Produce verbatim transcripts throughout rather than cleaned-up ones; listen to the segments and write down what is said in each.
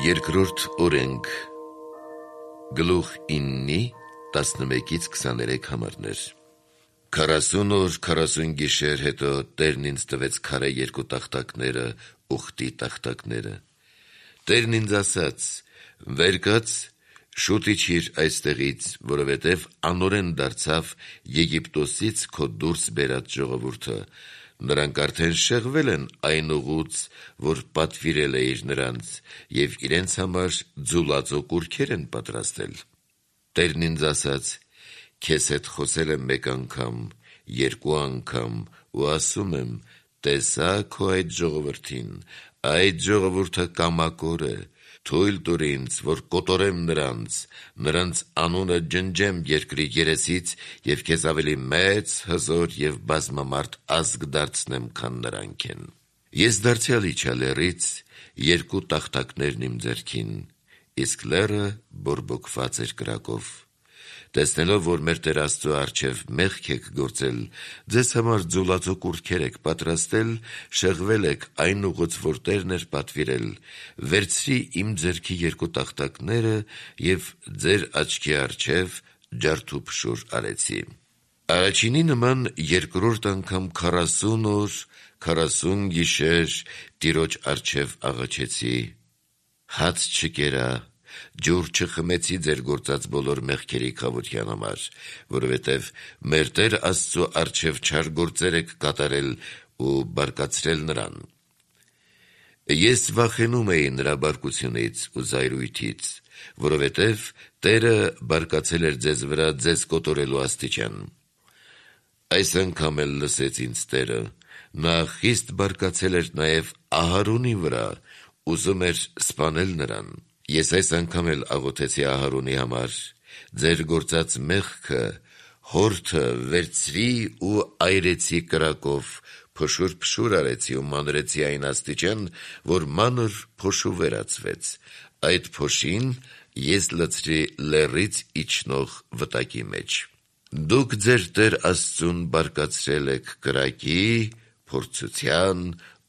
Երկրորդ օրենք Գլուխ իննի տասնմեկից քսաներեք համարներ Քառասուն օր քառասուն գիշեր հետո Տերն ինձ տվեց քարե երկու տախտակները, ուխտի տախտակները։ Տերն ինձ ասաց. վեր կաց, շուտ իջիր այստեղից, որովհետև անօրեն դարձավ Եգիպտոսից քո դուրս բերած ժողովուրդը։ Նրանք արդեն շեղվել են այն ուղուց, որ պատվիրել էիր նրանց, և իրենց համար ձուլածո կուռքեր են պատրաստել։ Տերն ինձ ասաց. քեզ հետ խոսել եմ մեկ անգամ, երկու անգամ, ու ասում եմ. տեսա քո այդ ժողովրդին, այդ ժողովուրդը կամակոր է, թույլ տուր ինձ, որ կոտորեմ նրանց, նրանց անունը ջնջեմ երկրի երեսից և քեզ ավելի մեծ, հզոր և բազմամարդ ազգ դարձնեմ, քան նրանք են։ Ես դարձյալ իջա լեռից, երկու տախտակներն իմ ձեռքին, իսկ լեռը բորբոքված էր կրակով։ Տեսնելով, որ մեր Տեր Աստծու առջև մեղք եք գործել, ձեզ համար ձուլածո կուռքեր եք պատրաստել, շեղվել եք այն ուղուց, որ Տերն էր պատվիրել, վերցրի իմ ձեռքի երկու տախտակները և ձեր աչքի առջև ջարդուփշուր արեցի։ Առաջինի նման երկրորդ անգամ քառասուն օր, քառասուն գիշեր Տիրոջ առջև աղաչեցի. հաց չկերա, ջուր չխմեցի ձեր գործած բոլոր մեղքերի քավության համար, որովհետև մեր Տեր Աստծու առջև չար գործեր եք կատարել ու բարկացրել նրան։ Ես վախենում էի նրա բարկությունից ու զայրույթից, որովհետև Տերը բարկացել էր ձեզ վրա ձեզ կոտորելու աստիճան։ Այս անգամ էլ լսեց ինձ Տերը, նա խիստ բարկացել էր նաև Ահարոնի վրա, ուզում էր սպանել նրան։ Ես այս անգամ էլ աղոթեցի Ահարոնի համար. ձեր գործած մեղքը հորթը վերցրի ու այրեցի կրակով, փշուր-փշուր արեցի ու մանրեցի այն աստիճան, որ մանր փոշու վերածվեց, այդ փոշին ես լցրի լեռից իջնող վտակի մեջ։ Դուք ձեր Տեր Աստծուն բարկացրել եք կրակի, փորձության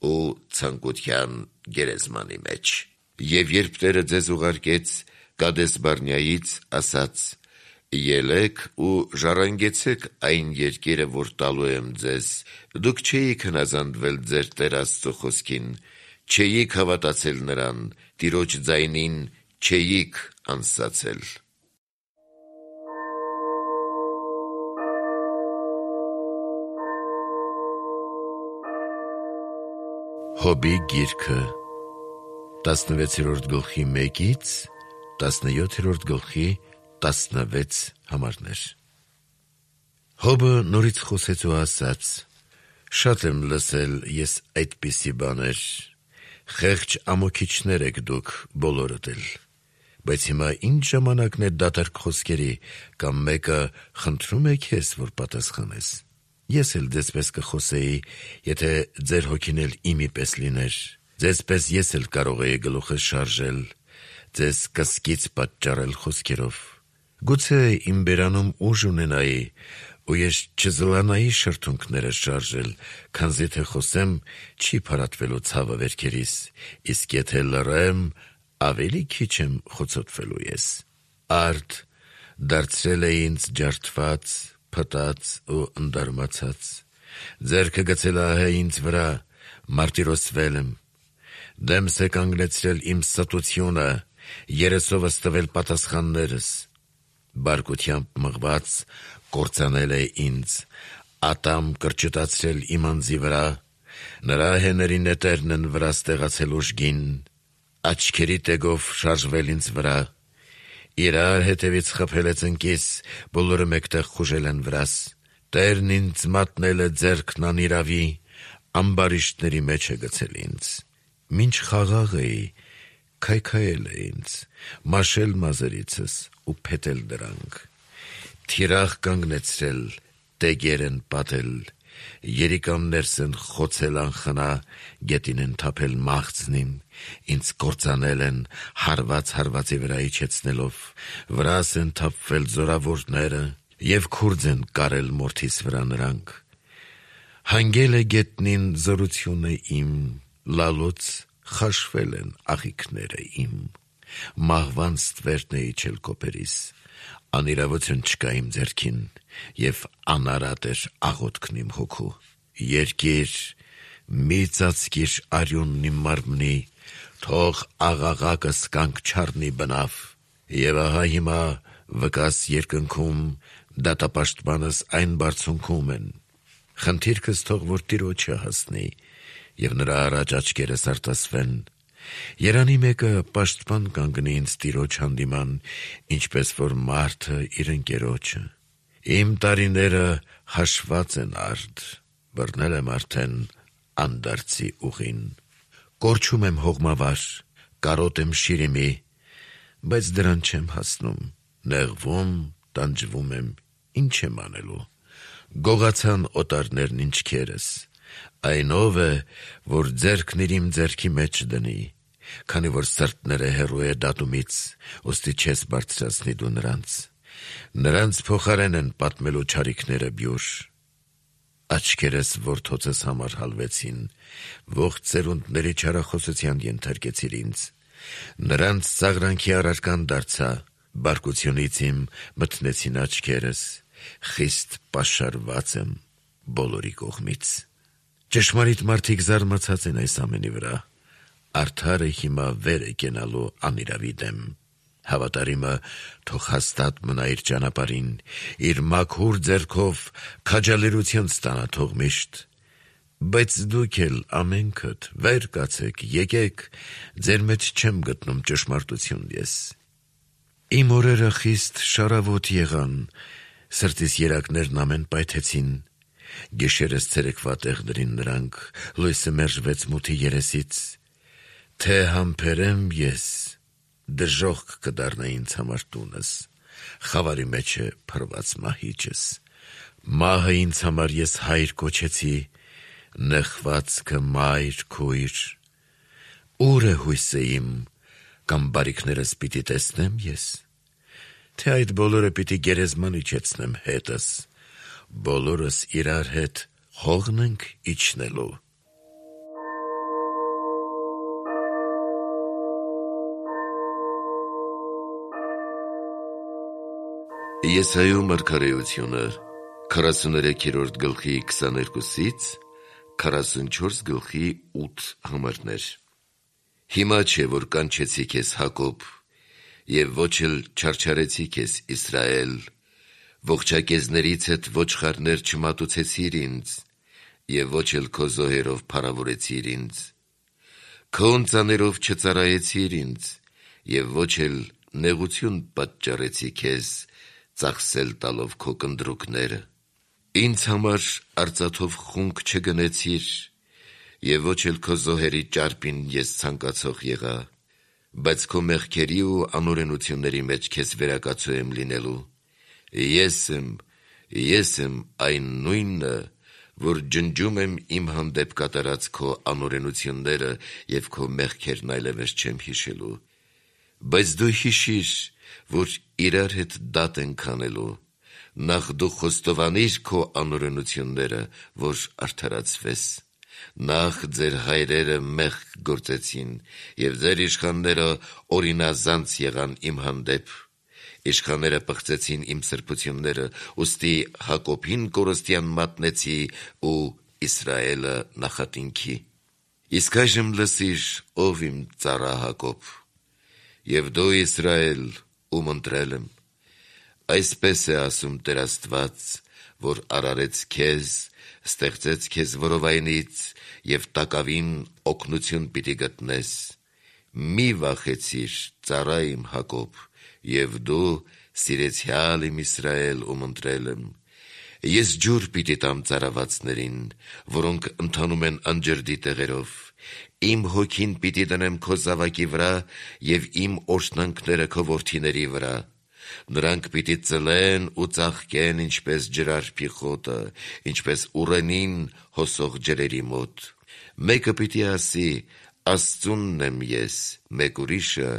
ու ցանկության գերեզմանի մեջ։ Եվ երբ Տերը ձեզ ուղարկեց Կադես Բարնեայից, ասաց. ելեք ու ժառանգեցեք այն երկիրը, որ տալու եմ ձեզ, դուք չէիք հնազանդվել ձեր Տեր Աստծու խոսքին, չէիք հավատացել նրան, Տիրոջ ձայնին չէիք անսացել։ Հոբի գիրքը տասնվեցերորդ գլխի մեկից տասնյոթերորդ գլխի տասնվեց համարներ Հոբը նորից խոսեց ու ասաց. շատ եմ լսել ես այդպիսի բաներ, խեղճ ամոքիչներ եք դուք բոլորդ էլ, բայց հիմա ինչ ժամանակն է դատարկ խոսքերի, կամ մեկը խնդրում է քեզ, որ պատասխանես։ Ես էլ ձեզպես կխոսեի, եթե ձեր հոգին էլ իմի պես լիներ, ձեզպես ես էլ կարող էի գլուխս շարժել, ձեզ կսկից պատճառել խոսքերով։ Գուցե իմ բերանում ուժ ունենայի, ու ես չզլանայի շրթունքներս շարժել, քանզի թե խոսեմ, չի փարատվելու ցավը վերքերիս, իսկ եթե լռեմ, ավելի քիչ եմ խոցոտվելու ես։ Արդ դարձրել է ինձ ջարդված, փտած ու ընդարմացած, ձեռքը գցել ահե ինձ վրա, մարտիրոսվել եմ, դեմս է կանգնեցրել իմ ստությունը, երեսովս տվել պատասխաններս, բարկությամբ մղված կործանել է ինձ, ատամ կրճտացրել իմ անձի վրա, նրա հեների նետերն են վրա ստեղացել ուժգին, աչքերի տեգով շարժվել ինձ վրա, իրար հետևից խփել է ծնկիս, բոլորը մեկտեղ խուժել են վրաս, Տերն ինձ մատնել է ձեռքն անիրավի, ամբարիշտների մեջ է գցել ինձ, մինչ խաղաղ էի, քայքայել է ինձ, մաշել մազերիցս ու փետել դրանք, թիրախ կանգնեցրել, տեգեր են պատել, երիկամներս են խոցել անխնա, գետին են թափել մաղձնին, ինձ կործանել են, հարված հարվածի վրա իջեցնելով, վրաս են թափվել զորավորները, և քուրձ են կարել մորթիս վրա նրանք, հանգել է գետնին զորությունը իմ, լալուց խաշվել են աղիքները իմ։ Մահվան ստվերն է իջել կոպերիս, անիրավություն չկա իմ ձեռքին, և անարատ էր աղոթքն իմ հոգու։ Երկիր, մի ծածկիր արյունն իմ մարմնի, թող աղաղակս կանք չառնի բնավ, և ահա հիմա վկաս երկնքում, դատապաշտպանս այն բարձունքում են։ Խնդիրքս թող որ Տիրոջը հասնի, և նրա առաջ աչքերս արտասվեն։ Երանի մեկը պաշտպան կանգնի ինձ Տիրոջ հանդիման, ինչպես որ մարդը իր ընկերոջը։ Իմ տարիները հաշված են արդ, բռնել եմ արդեն անդարձի ուղին։ Կորչում եմ հողմավար, կարոտ եմ շիրիմի, բայց դրան չեմ հասնում, նեղվում, տանջվում եմ, ինչ եմ անելու։ Գողացան օտարներն ինչքերս, այն ով է, որ ձեռքն իր իմ ձեռքի մեջ դնի, քանի որ սրտները հեռու է դատումից, ուստի չես բարձրացնի դու նրանց։ Նրանց փոխարեն են պատմելու չարիքները բյուր։ Աչքերս որդոցս համար հալվեցին, ողջ ծերունդների չարախոսության ենթարկեցիր ինձ։ Նրանց ծաղրանքի առարկան դարձա, բարկությունից իմ մթնեցին աչքերս, խիստ պաշարված եմ բոլորի կողմից։ Ճշմարիտ մարդիկ զարմացած են այս ամենի վրա, արդարը հիմա վեր է կենալու անիրավի դեմ։ Հավատարիմը թող հաստատ մնա իր ճանապարհին, իր մաքուր ձեռքով քաջալերություն ստանա թող միշտ։ Բայց դուք էլ ամենքդ վեր կացեք, եկեք, ձեր մեջ չեմ գտնում ճշմարտություն ես։ Իմ օրերը խիստ շարավոտ եղան, սրտիս երակներն ամեն պայթեցին, գիշերս ցերեկվա տեղ դրին նրանք, լույսը մերժվեց մութի երեսից, թե համբերեմ ես, դժոխք կդառնա ինձ համար տունս, խավարի մեջ է փռված մահիճս։ Մահը ինձ համար ես հայր կոչեցի, նեղվածքը մայր քույր։ Ուր է հույսը իմ, կամ բարիքներս պիտի տեսնեմ ես, թե այդ բոլորը պիտի գերեզման իջեցնեմ հետս, բոլորս իրար հետ հողն ենք իջնելու։ Եսայու մարգարեությունը քառասուներեքերորդ գլխի քսաներկուսից քառասունչորս գլխի ութ համարներ։ Հիմա չէ, որ կանչեցի քեզ Հակոբ, և ոչ էլ չարչարեցի քեզ Իսրայել, ողջակեզներից հետ ոչխարներ չմատուցեցիր ինձ, և ոչ էլ քո զոհերով փառավորեցիր ինձ։ Քո ընծաներով չծառայեցիր ինձ, և ոչ էլ նեղություն պատճառեցի քեզ, ծախսել տալով քո կնդրուկները։ Ինձ համար արծաթով խունկ չգնեցիր, և ոչ էլ քո զոհերի ճարպին ես ցանկացող եղա, բայց քո մեղքերի ու անօրենությունների մեջ քեզ վերակացու եմ լինելու։ Ես եմ, ես եմ այն նույնը, որ ջնջում եմ իմ հանդեպ կատարած քո անօրենությունները և քո մեղքերն այլևս չեմ հիշելու։ Բայց դու հիշիր, որ իրար հետ դատ ենք անելու, նախ դու խոստովանիր քո անօրենությունները, որ արդարացվես։ Նախ ձեր հայրերը մեղք գործեցին, և ձեր իշխանները օրինազանց եղան իմ հանդեպ։ Իշխանները պղծեցին իմ սրբությունները, ուստի Հակոբին կորստյան մատնեցի ու Իսրայելը նախատինքի։ Իսկ այժմ լսիր, ով իմ ծառա Հակոբ, և դու Իսրայել, ում ընտրել եմ։ Այսպես է ասում Տեր Աստված, որ արարեց քեզ, ստեղծեց քեզ որովայնից, և տակավին օգնություն պիտի գտնես։ Մի վախեցիր, ծառա իմ Հակոբ, և դու սիրեցյալ իմ Իսրայել, ում ընտրել եմ։ Ես ջուր պիտի տամ ծարավացներին, որոնք ընթանում են անջրդի տեղերով։ Իմ հոգին պիտի դնեմ քո զավակի վրա և իմ օրհնանքները քո որդիների վրա։ Նրանք պիտի ծլեն ու ծաղկեն, ինչպես ջրարփի խոտը, ինչպես ուռենին հոսող ջրերի մոտ։ Մեկը պիտի ասի. Աստծունն եմ ես, մեկ ուրիշը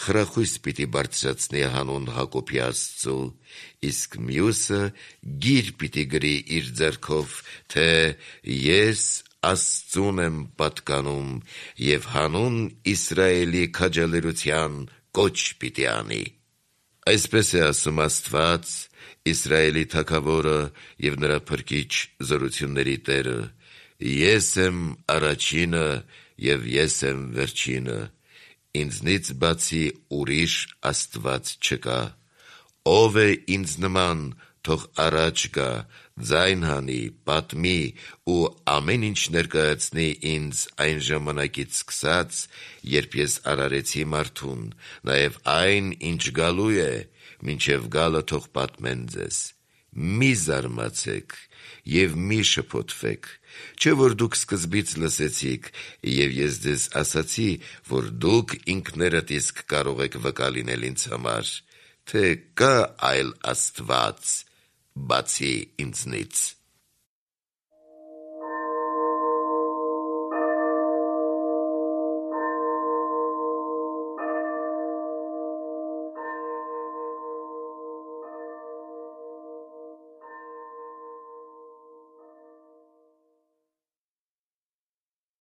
խրախույս պիտի բարձրացնի հանուն Հակոբի Աստծու, իսկ մյուսը գիր պիտի գրի իր ձեռքով, թե ես Աստծուն եմ պատկանում և հանուն Իսրայելի քաջալերության կոչ պիտի անի։ Այսպես է ասում Աստված, Իսրայելի թագավորը և նրա փրկիչ զորությունների Տերը. «Ես եմ առաջինը և ես եմ վերջինը, ինձնից բացի ուրիշ Աստված չկա։ Ով է ինձ նման, թող առաջ գա, ձայն հանի, պատմի ու ամեն ինչ ներկայացնի ինձ այն ժամանակից սկսած, երբ ես արարեցի մարդուն, նաև այն, ինչ գալու է, մինչև գալը թող պատմեն ձեզ։ Մի զարմացեք և մի շփոթվեք, չէ՞ որ դուք սկզբից լսեցիք, և ես ձեզ ասացի, որ դուք ինքներդ իսկ կարող եք վկա լինել ինձ համար, թե կա այլ Աստված, բացի ինձնից»։